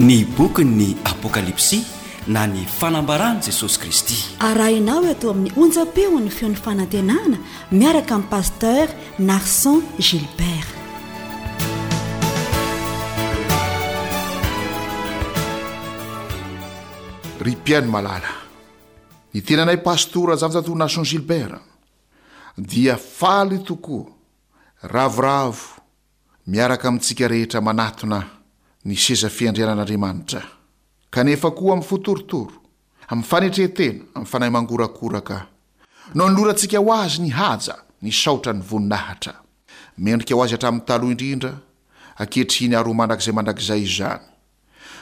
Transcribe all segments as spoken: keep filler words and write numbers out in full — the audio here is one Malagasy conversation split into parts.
Ny bokin'ny Apokalypsy na ny fanambaran'i Jesosy Kristy. Arahinao eto amin'ny onjam-peon'ny feon'ny fanantenana miaraka amin'ny pasteur Narson Gilbert. Ry mpihaino malala, ny tenanay pastora Zafinjatovo Narson Gilbert dia faly tokoa, ravoravo miaraka amintsika rehetra manatona ny seza fiandrianan'Andriamanitra, kanefa koa amin'ny fo torotoro, amin'ny fanetren-tena, amin'ny fanahy mangorakoraka, no anolorantsika ho azy ny haja, ny saotra, ny voninahitra. Mendrika ho azy hatramin'ny taloha indrindra, ankehitriny ary ho mandrakizay mandrakizay izany.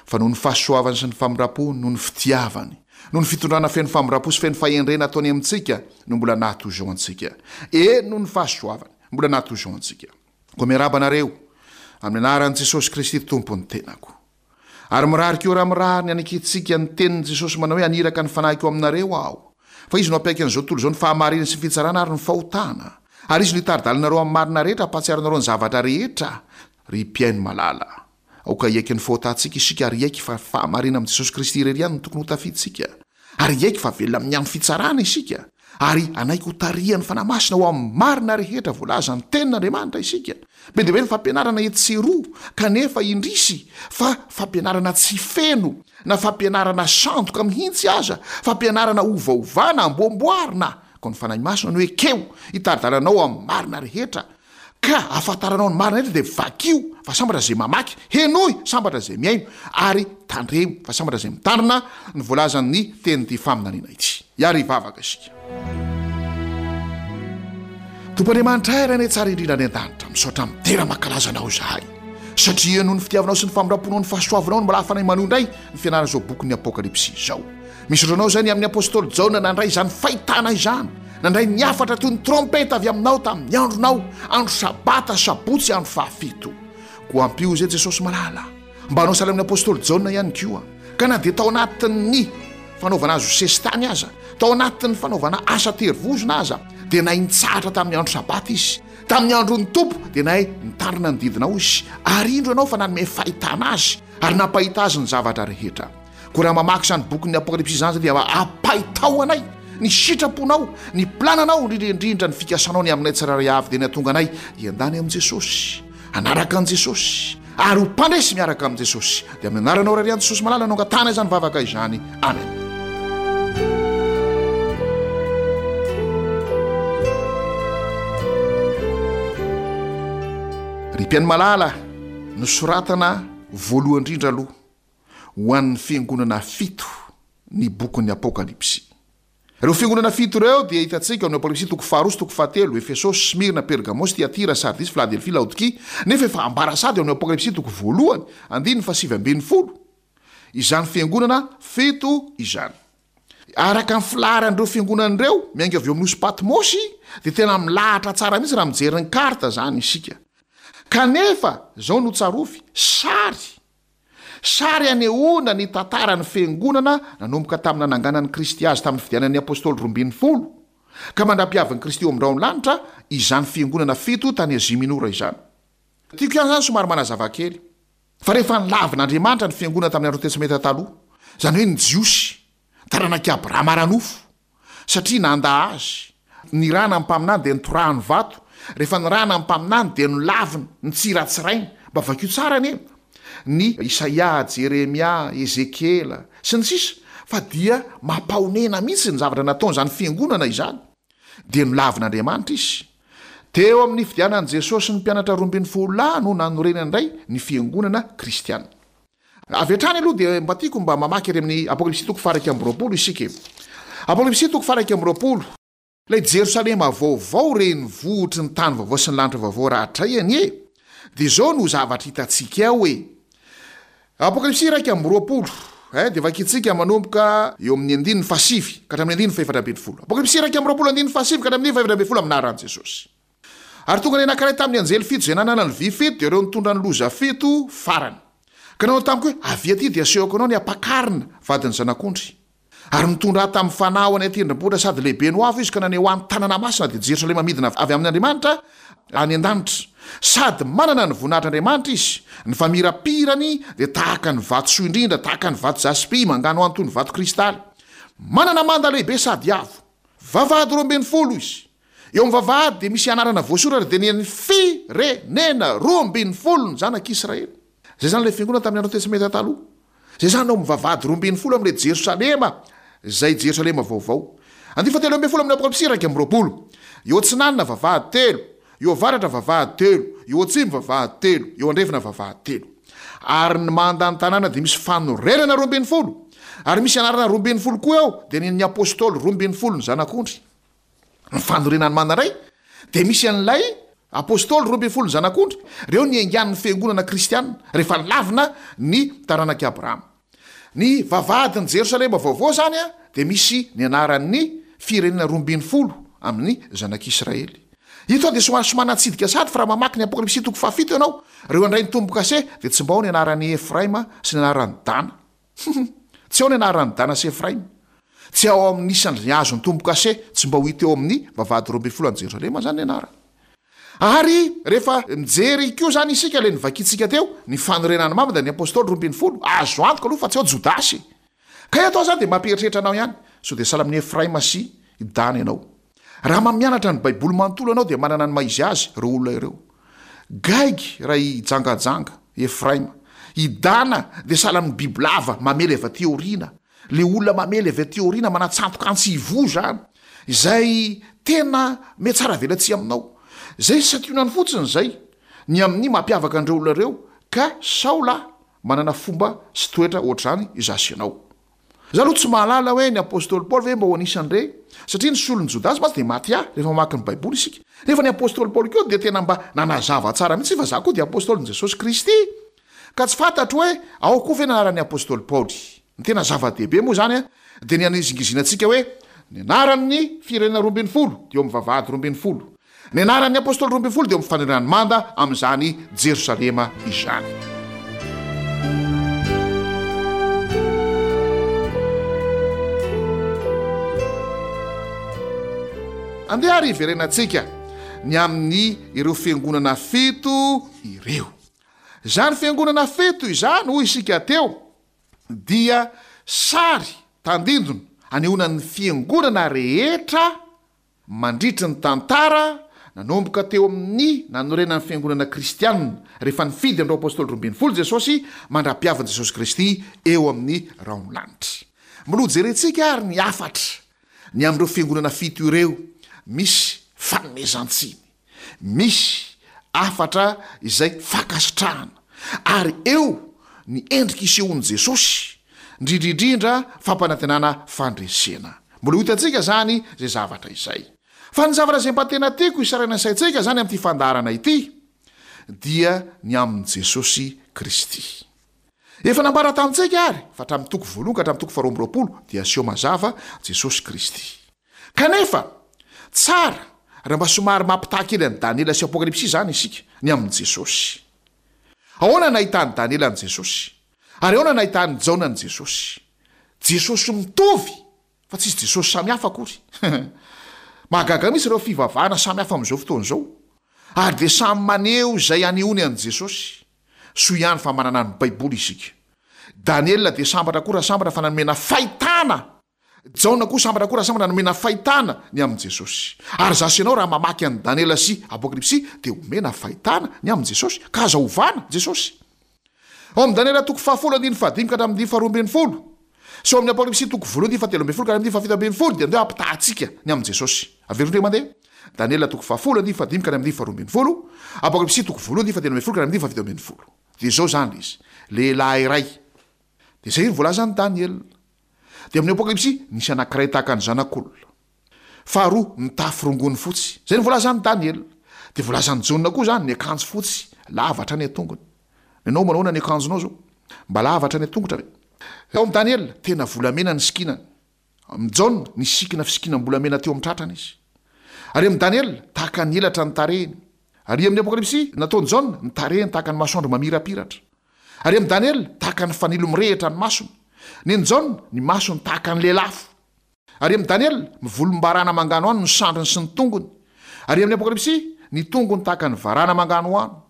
Fa noho ny fahasoavany sy ny famindram-pony, noho ny fitiavany, noho ny fitondrana feno famindram-po sy feno fahendrena ataony amintsika no mbola naha-toy izao antsika. Eny, noho ny fahasoavany, mbola naha-toy izao antsika. Koa miarahaba anareo amin'ny anaran'i Jesosy Kristy Tompo ny tenako. Ary mirary koa raha mirary ny hanekentsika ny tenin'i Jesosy manao hoe haniraka ny fanahiko aminareo aho. Fa izy no hampiaiky an'izao tontolo izao ny fahamarinana sy ny fitsarana ary ny fahotana. Ary izy no hitari-dalana anareo amin'ny marina rehetra hampahatsiaro anareo ny zavatra rehetra. Ry mpihaino malala, aoka hiaiky ny fahotantsika isika ary hiaiky fa fahamarinana amin'i Jesosy Kristy irery ihany no tokony hotafiantsika. Ary hiaiky fa velona amin'ny andro fitsarana isika, ary hanaiky ho tarihan'ny Fanahy Masina ho amin'ny marina rehetra voalazan'ny Tenin'Andriamanitra isika. Be dia be ny fampianarana etsy sy eroa, kanefa indrisy fa fampianarana tsy feno, na fampianarana sandoka mihitsy aza, fampianarana ovaovana, amboamboarina. Koa ny Fanahy Masina no ekeo hitari-dalana anao amin'ny marina rehetra. Ka ahafantaranao ny marina rehetra dia vakio fa sambatra izay mamaky, henoy, sambatra izay mihaino, ary tandremo fa sambatra izay mitandrina ny voalazan'ny tenin'ity faminaniana ity. Hiary hivavaka isika. Tompo Andriamanitra ay Rainay tsara indrindra any an-danitra, misaotra midera mankalaza Anao izahay, satria noho ny fitiavanao sy ny famindram-ponao ny fahasoavanao no mbola ahafanay manohy indray ny fianarana izao bokin'ny Apokalypsy izao. Misaotra anao izay ny amin'ny apostoly Jaona nandray izany fahitana izany, nandray ny hafatra toy ny trompeta avy aminao tamin'ny andronao, andro sabata, sabotsy, andro fahafito. Koa ampio izay Jesosy malala, mba hanao sahala amin'ny apostoly Jaona ihany koa, ka na dia tao anatin'ny fanaovana azy ho sesitany aza, tao anatin'ny fanaovana asa terivozona aza, dia nahay nitsahatra tamin'ny andro sabata izy. Tamin'ny andron'ny Tompo dia nahay nitandrina ny didinao izy, ary indro ianao fa nanome fahitana azy ary nampahita azy ny zavatra rehetra. Koa raha mamaky izany bokin'ny Apokalypsy izany izay dia ampaitao anay ny sitraponao, ny plananao, indrindra indrindra ny fikasanao ny aminay tsirairay avy dia ny hatonga anay hiandany amin'i Jesosy, hanaraka an'i Jesosy ary ho mpandresy miaraka amin'i Jesosy. Dia amin'ny anaranao Ray Jesosy malala no angatahana izany vavaka izany. Amen. Ry mpihaino malala, nosoratana voalohany indrindra aloha ho an'ny fiangonana fito ny bokin'ny Apokalypsy. Ireo fiangonana fito ireo dia hitantsika ao amin'ny Apokalypsy toko faharoa sy toko fahatelo, Efesosy, Smyrna, Pergamosy, Tyatira, Sardisy, Filadelfia, Laodikia, nefa efa ambara sady ao amin'ny Apokalypsy toko voalohany, andininy fahasivy ambin'ny folo, izany fiangonana fito izany. Araka ny filaharan'ireo fiangonana ireo, miainga avy eo amin'ny nosy Patmosy, dia tena milahatra tsara mihitsy raha mijery ny carte izany isika. Kanefa, izao no tsarovy, sary Sary anehoana ny tantaran'ny Fiangonana nanomboka tamin'ny nananganan'i Kristy azy tamin'ny fidianan'ny Apôstôly roa ambin'ny folo ka mandra-piavin'i Kristy eo amin'ny rahon'ny lanitra izany Fiangonana fito tany Azia Minora izany. Tiako ihany izany somary manazava kely fa rehefa nolavin'Andriamanitra ny Fiangonana tamin'ny andron'ny Testamenta Taloha, izany hoe ny Jiosy, taranak'i Abrahama ara-nofo, satria nandà azy. Nirahana ny mpaminany dia notorahany vato, rehefa nirahana ny mpaminany dia nolaviny, nitsiratsirainy. Mba vakio tsara anie ny Isaia, Jeremia, Ezekiela, sy ny sisa fa dia mampahonena mihitsy ny zavatra nataon'izany fiangonana izany. Dia nolavin'Andriamanitra izy. Teo amin'ny nifidianan'i Jesosy ny mpianatra roa ambin'ny folo lahy no nanorenany indray ny fiangonana kristiana. Avy hatrany aloha dia mba tiako mba mamaky ery amin'ny Apokalypsy toko faha-iraika amby roapolo isika e. Apokalypsy toko faha-iraika amby roapolo. Ilay Jerosalema vaovao renivohitry ny tany vaovao sy ny lanitra vaovao rahatray anie dia izao no zavatra hitantsika ao e. Apokalypsy iraika amby roapolo eh, dia vakintsika manomboka eo amin'ny andininy fahasivy ka hatramin'ny andininy fahefatra ambin'ny folo. Apokalypsy iraika amby roapolo andininy fahasivy ka hatramin'ny andininy fahefatra ambin'ny folo amin'ny anaran'i Jesosy. Ary tonga ny anankiray tamin'ny anjely fito izay nanana ny vy fito, dia ireo nitondra ny loza fito farany. Ka nanao tamiko hoe, Avia aty, dia asehoko anao ny ampakarina, vadin'ny Zanak'ondry. Ary nitondra ahy tamin'ny fanahy ho any an-tendrombohitra sady lehibe no avo izy, ka naneho ahy ny tanana masina, dia Jerosalema midina avy amin' Andriamanitra any an-danitra, Sady manana ny voninahitr'Andriamanitra izy, ny famirapirany dia tahaka ny vatosoa indrindra, tahaka ny vato jaspy, manganohano toy ny vato kristaly. Manana manda lehibe sady avo. Vavahady roa ambin'ny folo izy. Eo amin'ny vavahady dia misy anarana voasoratra dia ny an'ny firenena roa ambin'ny folo ny zanak'Israely. Izay izany ilay fiangonana tamin'ny andro Testamenta Taloha. Izay izany ao amin'ny vavahady roa ambin'ny folo amin'ilay Jerosalema, izay Jerosalema vaovao. Andiany fahatelo ambin'ny folo amin'ny Apokalypsy iraika amby roapolo. Eo atsinanana vavahady telo, eo avaratra vavahady telo, eo atsimo vavahady telo, eo andrefana vavahady telo. Ary ny mandan'ny tanàna dia misy fanorenana roa ambin'ny folo. Ary misy anarana roa ambin'ny folo koa eo, dia ny an'ny apôstôly roa ambin'ny folo ny zanak'ondry. Ny fanorenan'ny manda indray dia misy an'ilay apôstôly roa ambin'ny folo ny zanak'ondry. Ireo ny niaingan'ny fiangonana kristiana rehefa lavina ny taranak'i Abrahama. Ny vavahadin'i Jerosalema vaovao izany dia misy ny anaran'ny firenena roa ambin'ny folo amin'ny zanak'Israely. Ito dia somary somary natsidika sady fa raha mamaky ny Apokalypsy toko fahafito ianao, ireo handray ny tombo-kase dia tsy mba ao ny anaran'i Efraima sy ny anaran'i Dana. Tsy ao ny anaran'i Dana sy Efraima. Tsy ao amin'ny isan'ny azon'ny tombo-kase, tsy mba ho hita eo amin'ny vavahady roa ambin'ny folo any Jerosalema izany ny anarany. Ary rehefa mijery koa izany isika ilay novakintsika teo, ny fanorenan'ny mamba dia ny apôstôly roa ambin'ny folo, azo antoka aloha fa tsy ao Jodasy. Ka eto aho izany dia mampieritreritra anao ihany, sao dia sahala amin'i Efraima sy i Dana ianao. Raha mamianatra ny Baiboly manontolo ianao dia manana ny maha izy azy ireo olona ireo. Gaigy raha hijangajanga, Efraima. I Dana dia sahala amin'ny bibilava mamely avy aty aoriana. Le olona mamely avy aty aoriana manatsantoka antsy ivoho izany, izay tena mihatsara velatsihy aminao. Izay santionany fotsiny izay ny amin'ny mampiavaka an'ireo olona ireo, ka Saola manana fomba sy toetra ohatr'izany izaho sy ianao. Izaho aloha tsy mahalala hoe ny apostoly Paoly ve mba ho anisan'ireny, satria ny solon'i Jodasy mantsy dia Matia, rehefa mamaky ny Baiboly isika. Nefa ny apostoly Paoly koa dia tena mba nanazava tsara mihitsy fa izaho koa dia apostolin'i Jesosy Kristy. Ka tsy fantatro hoe ao koa ve ny anaran'ny apostoly Paoly. Ny tena zava-dehibe moa izany dia ny hanizingizinantsika hoe ny anaran'ny firenena roa ambin'ny folo dia eo amin'ny vavahady roa ambin'ny folo. Ny anaran'ny apostoly roa ambin'ny folo dia eo amin'ny fanorenan'ny manda amin'izany Jerosalema izany. Andeha ary hiverenantsika ny amin'ny ireo fiangonana fito ireo. Izany fiangonana fito izany, hoy isika teo, dia sary tandindona anehoana ny fiangonana rehetra mandritry ny tantara nanomboka teo amin'ny nanorenan'ny fiangonana kristianina rehefa nifidy an'ireo apostoly roa ambin'ny folo Jesosy mandra-piavin'i Jesosy Kristy eo amin'ny rahon'ny lanitra. Mbola hojerentsika ary ny hafatra ny amin'ireo fiangonana fito ireo misy fanomezan-tsiny, misy hafatra izay fankasitrahana, ary eo ny endrika isehoan'i Jesosy, indrindra indrindra fampanantenana fandresena. Mbola ho hitantsika izany izay zavatra izay. Fa ny zavatra izay mba tena tiako hisarihana ny saintsika izany amin'ity fandaharana ity dia ny amin'i Jesosy Kristy. Efa nambara tamintsika ary fa hatramin'ny toko voalohany ka hatramin'ny toko faharoa amby roapolo dia aseho mazava Jesosy Kristy. Kanefa, tsara raha mba somary mampitaha kely an'i Daniela sy Apokalypsy izany isika ny amin'i Jesosy. Ahoana no nahitan'i Daniela an'i Jesosy? Ary ahoana no nahitan'i Jaona an'i Jesosy? Jesosy mitovy, fa tsisy Jesosy samy hafa akory. Mahagaga mihitsy ireo fivavahana samy hafa amin'izao fotoana izao. Ary dia samy maneho izay anehoany an'i Jesosy. Soa ihany fa manana ny Baiboly isika. Daniela dia sambatra koa raha sambatra fa nanomena fahitana. Jaona koa sambatra koa raha sambatra nomena fahitana ny amin'i Jesosy. Ary izaho sy ianao raha mamaky an'i Daniela sy Apokalypsy dia omena fahitana ny amin'i Jesosy. Ka aza ovana Jesosy. Ao amin'i Daniela toko fahafolo andininy fahadimy ka hatramin'ny andininy faharoa ambin'ny folo sy ao amin'ny Apokalypsy toko voalohany andininy fahatelo ambin'ny folo ka hatramin'ny andininy fahafito ambin'ny folo dia andeha hampitahantsika ny amin'i Jesosy. Averiko indray mandeha. Daniela toko fahafolo andininy fahadimy ka hatramin'ny andininy faharoa ambin'ny folo, Apokalypsy toko voalohany andininy fahatelo ambin'ny folo ka hatramin'ny andininy fahafito ambin'ny folo. Dia izao izany ilay izy. Lehilahy iray. Dia izay no voalazan'i Daniela. Dia amin'ny Apokalypsy, nisy anankiray tahaka ny zanak'olona. Faharoa, mitafy rongony fotsy. Izay no voalazan'i Daniela. Dia voalazan'i Jaona koa izany, ny akanjo fotsy, lava hatrany an-tongony. Ianao manao ahoana ny akanjonao izao? Mba lava hatrany an-tongotra ve? Ao amin'i Daniela, tena volamena ny sikinany. Amin'i Jaona, nisikina fisikinam-bolamena teo amin'ny tratrany izy. Ary amin'i Daniela, tahaka ny elatra ny tarehiny. Ary amin'ny Apokalypsy, nataon'i Jaona, ny tarehiny tahaka ny masoandro mamirapiratra. Ary amin'i Daniela, tahaka ny fanilo mirehitra ny masony. Nen'i Jaona, ny masony tahaka ny lelafo. Ary amin'i Daniela, mivolombarana manganohano ny sandriny sy ny tongony. Ary amin'ny Apokalypsy, ny tongony tahaka ny varana manganohano.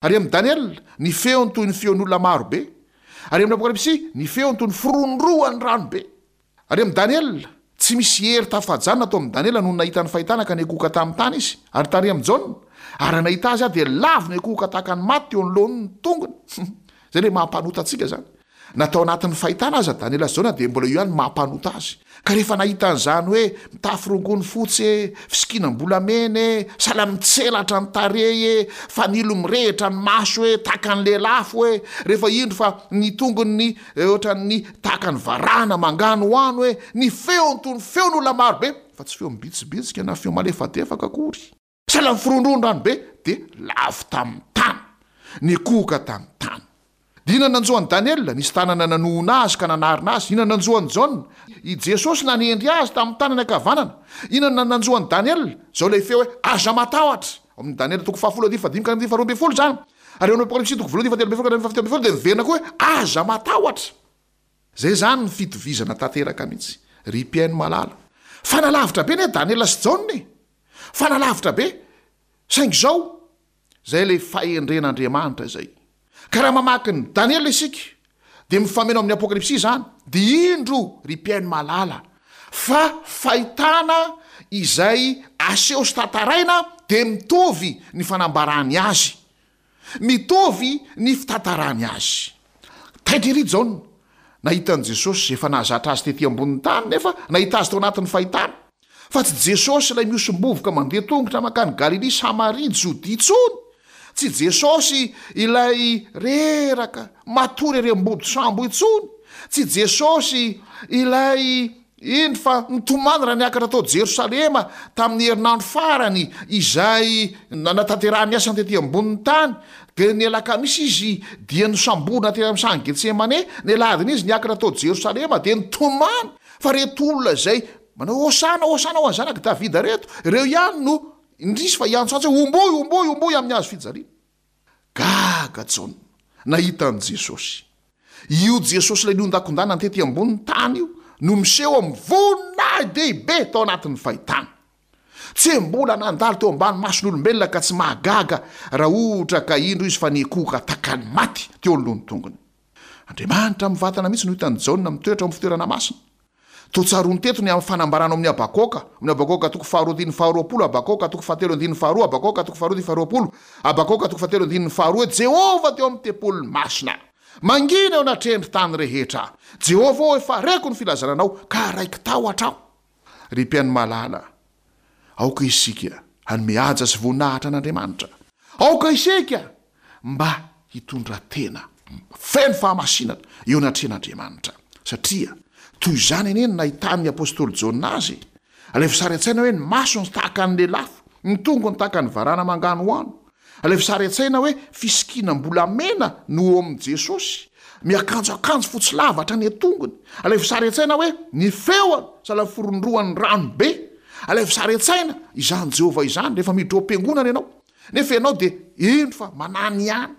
Ary amin'ny Daniela, ny feony toy ny feon'olona maro be. Ary amin'ny Apokalypsy, ny feony toy ny firohondrohan'ny rano be. Ary amin'ny Daniela, tsy misy hery tafajanona tao amin'i Daniela noho ny nahita ny fahitana ka niankohoka tamin'ny tany izy. Ary tary amin'i Jaona, ary raha nahita azy aho dia lavo niankohoka tahaka ny maty teo anoloan'ny tongony. Izay ilay maha-mpanota antsika izany. Na tao anatin'ny fahitana aza Daniela sy Jaona dia mbola io ihany ny maha-mpanota azy. Ka rehefa nahita an'izany hoe mitafy rongony fotsy e, fisikinam-bolamena e, sahala mitselatra ny tarehy e, fanilo mirehitra ny maso e, tahaka ny lelafo e, rehefa indro fa ny tongony ohatran'ny tahaka ny varahana manganohano e, ny feony toy ny feon'olona marobe, fa tsy feo mibitsibitsika na feo malefadefaka akory. Sahala miforondrona rano be dia lavo tamin'ny tany, nikohoka tamin'ny tany. Dia inona nanjo an'i Daniela? Nisy tanana nanohona azy ka nanarina azy. Inona nanjo an'i Jaona? I Jesosy nanendry azy tamin'ny tanany ankavanana. Inona nanjo an'i Daniela? Izao ilay feo hoe aza matahotra. Ao amin'ny Daniela toko fahafolo andininy fahadimy ka hatramin'ny faharoa ambin'ny folo izany. Ary ao amin'ny Apokalypsy toko voalohany fahatelo ambin'ny folo ka hatramin'ny fahafito ambin'ny folo dia miverina koa hoe aza matahotra. Izay izany ny fitovizana tanteraka mihitsy, ry mpihaino malala. Fa nalavitra be anie Daniela sy Jaona e! Fa nalavitra be. Saingy izao, izay ilay fahendren'Andriamanitra izay. Ka raha mamaky ny Daniela isika, dia mifameno amin'ny Apokalypsy izany, dia indro, ry mpihaino malala, fa fahitana izay aseho sy tantaraina dia mitovy ny fanambarany azy. Mitovy ny fitantarany azy. Taitra ery Jaona nahita an'i Jesosy izay efa nahazatra azy tety ambonin'ny tany nefa nahita azy tao anatin'ny fahitana. Fa tsy Jesosy ilay mihosom-bovoka mandeha tongotra mankany Galilia, Samaria, Jodia intsony. Tsy Jesosy ilay reraka matory ery ambody sambo intsony. Tsy Jesosy ilay iny fa nitomany raha niakatra tao Jerosalema tamin'ny herinandro farany izay nanatanterahany ny asany tety ambonin'ny tany. Dia ny alakamisy izy dia nosamborina teny amin'ny sahan'i Getsemane, ny alahadiny izy niakatra tao Jerosalema dia nitomany fa reto olona izay manao hosana, hosana ho an'ny zanak'i Davida reto, ireo ihany no indrisy fa hiantsoantso hoe homboy, homboy, homboy amin'ny hazo fijaliana. Gaga Jaona nahita an'i Jesosy. Io Jesosy ilay nihondakondana tety ambonin'ny tany io no miseho amin'ny voninahi-dehibe tao anatin'ny fahitana. Tsy mbola nandalo teo ambany mason'olombelona ka tsy mahagaga raha ohatra ka indro izy fa nikohoka tahaka ny maty teo anoloan'ny tongony. Andriamanitra mivantana mihitsy no hitan'i Jaona mitoetra ao amin'ny fitoerana masina. Toa tsaroany teto ny amin'ny fanambarana ao amin'ny Habakoka, amin'ny Habakoka toko faharoa andininy faharoapolo, Habakoka toko fahatelo andininy faharoa, Habakoka toko faharoa andininy faharoapolo, Habakoka toko fahatelo andininy faharoa hoe Jehovah teo amin'ny tempoliny masina. Mangina eo anatrehan'ny tany rehetra. Jehovah ô, efa reko ny filazana anao, ka raiki-tahotra aho. Ry mpihaino malala, aoka isika hanome haja sy voninahitra an'Andriamanitra. Aoka isika mba hitondra tena feno fahamasinana eo anatrehan'Andriamanitra, satria toy izany anie no nahitan'ny apostoly Jaona azy. Alaivo sary an-tsaina hoe ny masony tahaka ny lelafo, ny tongony tahaka ny varana manganohano. Alaivo sary an-tsaina hoe fisikinam-bolamena no eo amin'i Jesosy, miakanjo akanjo fotsy lava hatrany an-tongony. Alaivo sary an-tsaina hoe ny feony sahala ny forondroan'ny rano be. Alaivo sary an-tsaina izany Jehovah izany rehefa miditra ao am-piangonana ianao, nefa ianao dia indro fa manany ihany.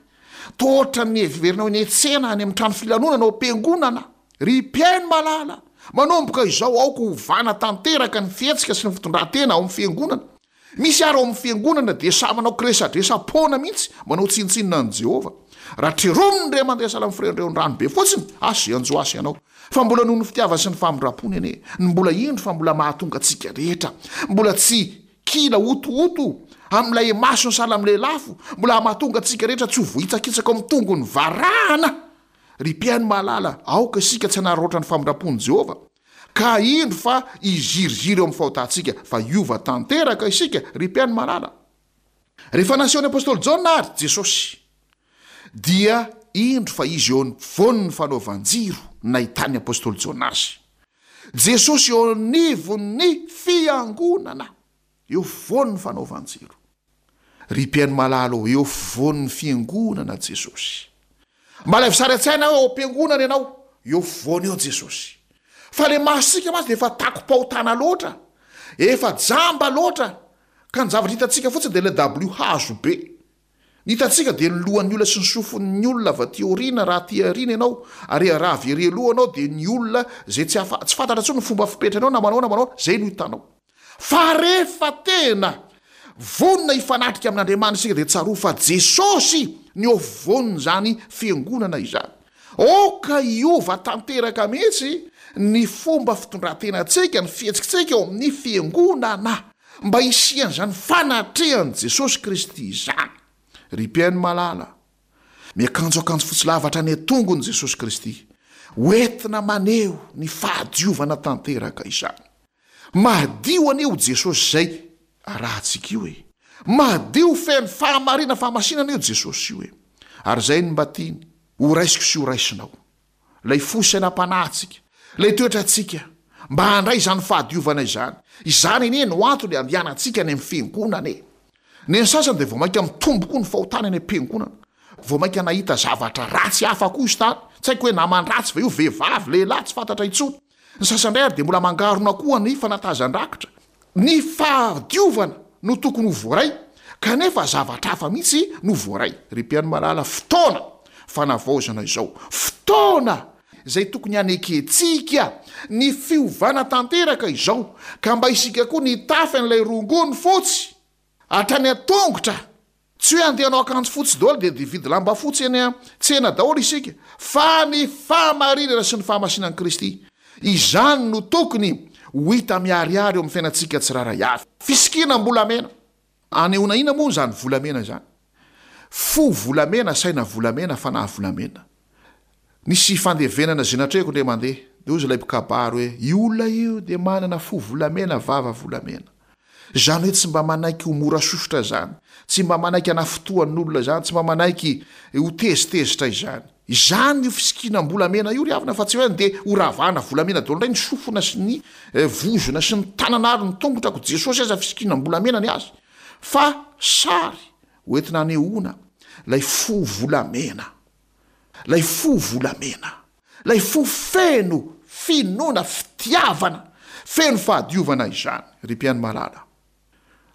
Toa ohatran'ny heverinao eny an-tsena any amin'ny trano filanonana ao am-piangonana. Ry mpihaino malala, manomboka izao aoka hovana tanteraka ny fihetsika sy ny fitondran-tena ao amin'ny fiangonana. Misy ary ao amin'ny fiangonana dia samy manao kiresadresa-poana mihitsy, manao tsinontsinona an'i Jehovah. Raha trerominy re mandeha sahala amin'ny firendreon-drano be fotsiny, asa izay hanjo azy ianao. Fa mbola noho ny fitiavany sy ny famindrampony anie, no mbola indro fa mbola mahatonga antsika rehetra, mbola tsy kila hotohoto amin'ilay masony sahala amin'ny lelafo, mbola mahatonga antsika rehetra tsy ho voahitsakitsaka ao amin'ny tongony varahana. Ry mpihaino mahalala, aoka isika tsy hanararaotra ny famindram-pon'i Jehovah, ka indro fa hiziriziry eo amin'ny fahotantsika, fa hiova tanteraka isika, ry mpihaino malala. Rehefa nasehon'ny apostoly Jaona àry Jesosy, dia indro fa izy eo afovoan'ny fanaovan-jiro nahitan'ny apostoly Jaona azy. Jesosy eo anivon'ny fiangonana, eo afovoan'ny fanaovan-jiro. Ry mpihaino malala ô, eo afovoan'ny fiangonana Jesosy. Mba alaivo sary an-tsaina hoe ao am-piangonana ianao, eo afovoany eo Jesosy. Fa le masontsika mantsy dia efa takom-pahotana loatra, efa jamba loatra, ka ny zavatra hitantsika fotsiny dia ilay dabilio hazo be. Ny hitantsika dia ny lohan'ny olona sy ny sofin'ny olona avy aty aoriana raha aty aoriana ianao, ary raha avy ery aloha ianao dia ny olona izay tsy afa, tsy fantatra intsony ny fomba fipetrany ao na manao na manao, izay no hitanao. Fa rehefa tena vonona hifanatrika amin'Andriamanitra isika dia tsarovy fa Jesosy ny eo afovoan'izany fiangonana izany. Aoka hiova tanteraka mihitsy ny fomba fitondran-tenantsika, ny fihetsikitsika eo amin'ny fiangonana mba hisian'izany fanatrehan'i Jesosy Kristy izany. Ry mpihaino malala, miakanjo akanjo fotsy lava hatrany an-tongony Jesosy Kristy, hoentina maneho ny fahadiovana tanteraka izany. Madio anie io Jesosy izay arahantsika io e! Madio feno fahamarina fahamasinana io Jesosy io e! Ary izay no mba tiany ho raisiko sy ho raisinao. Ilay fo sainam-panahintsika, ilay toetrantsika, mba handray izany fahadiovana izany. Izany anie no antony andehanantsika any amin'ny fiangonana e! Ny an'ny sasany dia vao mainka mitombo koa ny fahotana any am-piangonana. Vao mainka nahita zavatra ratsy hafa koa izy tany. Tsy haiko hoe naman-dratsy ve io, vehivavy, lehilahy, tsy fantatra intsony. Ny sasany indray ary dia mbola mangarona koa ny fanatazan-drakitra. Ny fahadiovana no tokony ho voaray, kanefa zavatra hafa mihitsy no voaray. Ry mpihaino malala, fotoana fanavaozana izao. Fotoana izay tokony hanekentsika ny fiovana tanteraka izao, ka mba isika koa nitafy an'ilay rongony fotsy hatrany an-tongotra. Tsy hoe andeha hanao akanjo fotsy daholo dia hividy lamba fotsy eny an-tsena daholo isika, fa ny fahamarinana sy ny fahamasinan'i Kristy, izany no tokony ho hita miharihary eo amin'ny fiainantsika tsirairay avy. Fisikinam-bolamena. Anehoana inona moa izany volamena izany? Fo volamena, saina volamena, fanahy volamena. Nisy fandevenana izay natrehiko indray mandeha, dia hoy ilay mpikabary hoe, io olona io dia manana fo volamena, vava volamena. Izany hoe tsy mba manaiky ho mora sosotra izany, tsy mba manaiky hanafotoan'olona izany, tsy mba manaiky ho tezitezitra izany. Izany io fisikinam-bolamena io ry havana fa tsy hoe andeha ho ravahana volamena daholo indray ny sofina sy ny vozona sy ny tanana ary ny tongotra ko Jesosy aza fisikinam-bolamena ny azy fa sary hoentina hanehoana ilay fo volamena. Ilay fo volamena, ilay fo feno finoana, fitiavana, feno fahadiovana izany, ry mpihaino malala.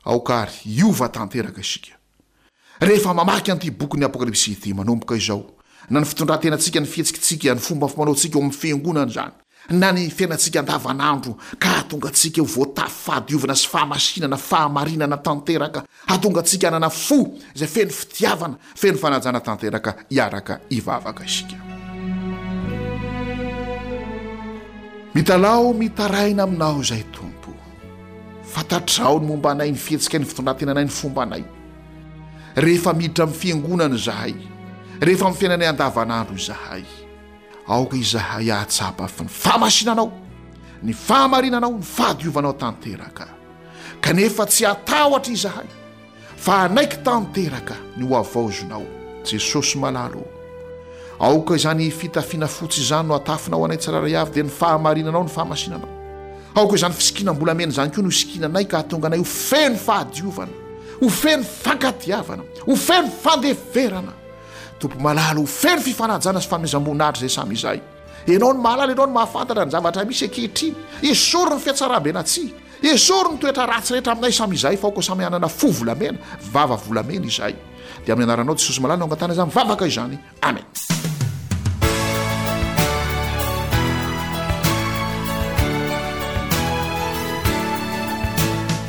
Aoka àry hiova tanteraka isika. Rehefa mamaky an'ity bokin'ny Apokalypsy ity manomboka izao, na ny fitondran-tenantsika, ny fihetsikitsika, ny fomba fanaontsika ao amin'ny fiangonana izany, na ny fiainantsika andavanandro ka hahatonga antsika ho voatafy fahadiovana sy fahamasinana, fahamarinana tanteraka, hahatonga antsika hanana fo izay feno fitiavana, feno fanajana tanteraka hiaraka hivavaka isika. Mitalaho mitaraina aminao izay Tompo. Fantatrao ny momba anay, ny fihetsikay, ny fitondran-tenanay, ny fombanay. Rehefa miditra amin'ny fiangonana izahay, rehefa amin'ny fiainanay andavanandro izahay. Aoka izahay hahatsapa ny fahamasinanao, ny fahamarinanao, ny fahadiovanao tanteraka. Kanefa tsy hatahotra izahay, fa hanaiky tanteraka ny ho havaozinao, Jesosy malala ô. Aoka izany fitafiana fotsy izany no hatafinao anay tsirairay avy, dia ny fahamarinanao, ny fahamasinanao. Aoka izany fisikinam-bolamena izany koa no hisikinanay ka hahatonga anay ho feno fahadiovana, ho feno fankatiavana, ho feno fandeferana. Tompo malala ho feno fifanajana sy fanomezam-boninahitra izay samy izay. Ianao no mahalala, Ianao no mahafantatra ny zavatra misy ankehitriny. Esory ny fihatsaram-belatsihy, esory ny toetra ratsy rehetra aminay samy izahay, fa aoka samy hanana fo volamena, vava volamena izahay. Dia amin'ny anaranao Jesosy malala no angatahana izany vavaka izany. Amen.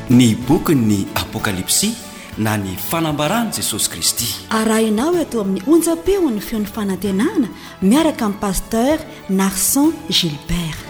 Ny bokin'ny Apokalypsy na ny fanambaran'i Jesosy Kristy. Arahinao eto amin'ny onjam-peon'ny feon'ny fanantenana miaraka amin'ny Pasteur Narson Gilbert.